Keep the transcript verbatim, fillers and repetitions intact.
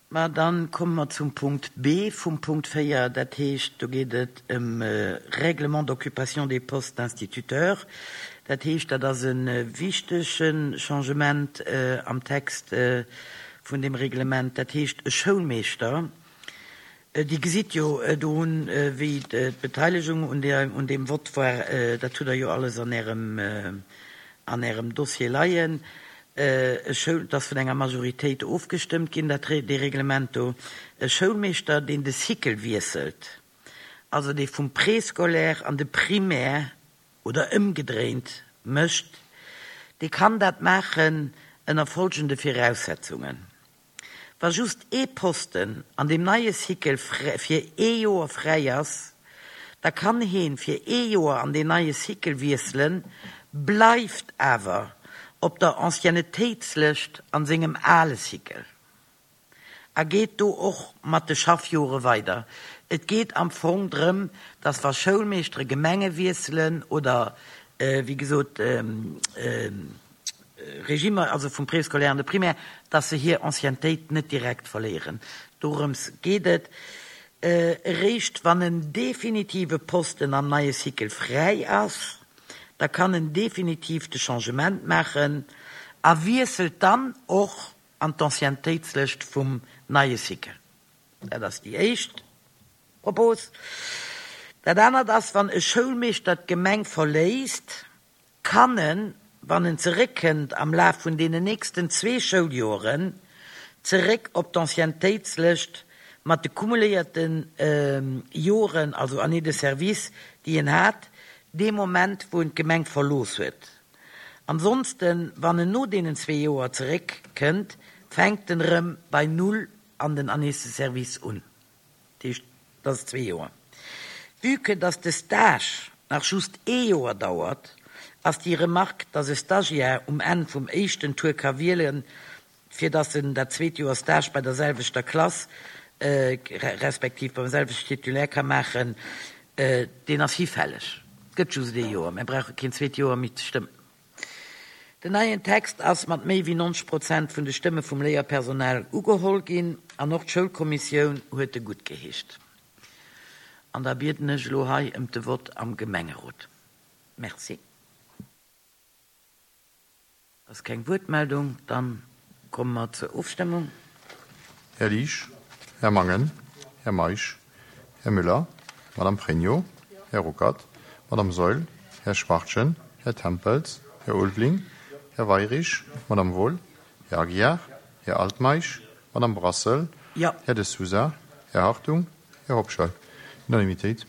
Ma dann komme mer zum Punkt B vum Punkt véier, dat heescht, do geet et ëm Règlement d'occupation des postes d'instituteurs. Dat heescht, dat ass e wichtege Changement am Text vun deem Reglement. Dat heescht, e Schoulmeeschter, Dir gesitt jo do hunn, wéi d'Beteiligung un der, un deem Vott war, dat hutt Der jo alles an Ärem, an Ärem Dossier leien. E Schoul, et ass vun enger Majoritéit ofgestëmmt ginn, dat, dee Reglement do. E Schoulmeeschter, deen de Cycle wiesselt, also dee vum Préscolaire an de Primaire oder ëmgedréint mécht, dee kann dat maachen ënner folgende Viraussetzungen. Wa just ee Posten an deem neie Cycle fir ee Joer fräi ass, da kann heen fir ee Joer an deen neie Cycle wiesselen, bleift awer op der Anciennetéitslëscht an sengem ale Cycle a geet do och mat de Schaffjore weider. Et geet am Fong drëm, dass wa Schoulmeeschtere Gemenge wiesselen oder, wéi gesot, Regimer, also vum Préscolaire an de Primaire, dass se hir Anciennetéit net direkt verléieren. Dorëms geet et. Eréischt wann en definitive Posten am neie Cycle fräi ass, da kann en definitiv de Changement maachen a wiesselt dann och an d'Anciennetéitslëscht vum neie Cycle. Dat ass déi éischt Propos. Dat anert ass, wann e Schoulmeeschter d'Gemeng verléisst, kann en, wann en zeréckkënnt am Laf vun deenen nächsten zwee Schouljoren, zeréck op d'Anciennetéitslëscht mat de cumuléierte Joren, also Années de service, déi en hat, dee Moment, wou en d'Gemeng verlooss huet. Ansonsten, wann en no deenen zwee Joer zeréckkënnt, fänkt en erëm bei null an den Années de service un. Dat heescht, dat ass zwee Joer. Vue que dass de Stage nach just ee Joer dauert, ass déi Remarque, dass e Stagiaire um Enn vum éischten Tour ka wielen, fir dass en dat zweet Joer Stage bei der selwechter Klass respektiv beim selwechten Titulaire ka maachen, deen ass hifälleg. Et gëtt just ee Joer, mir brauche keen zweet Joer méi ze stëmmen. Den neien Text ass mat méi wéi nonzeg Prozent vun de Stëmme vum Léierpersonal ugeholl ginn an och d'Schoulkommissioun huet e guttgeheescht. An da bieden ech elo hei ëm de Vott am Gemengerot. Merci. Ass keng Wuertmeldung, dann komme mer zur Ofstëmmung. Här Liesch, Här Mangen, Här Meisch, Här Müller, Madame Pregno, Här Ruckert, Madame Saeul, Här Schwachtgen, Här Tempels, Här Ulveling, Här Weyrich, Madame Wohl, Här Aguiar, Här Altmeisch, Madame Brassel, Jo. Här De Sousa, Här Hartung, Här Hobscheit. Unanimitéit.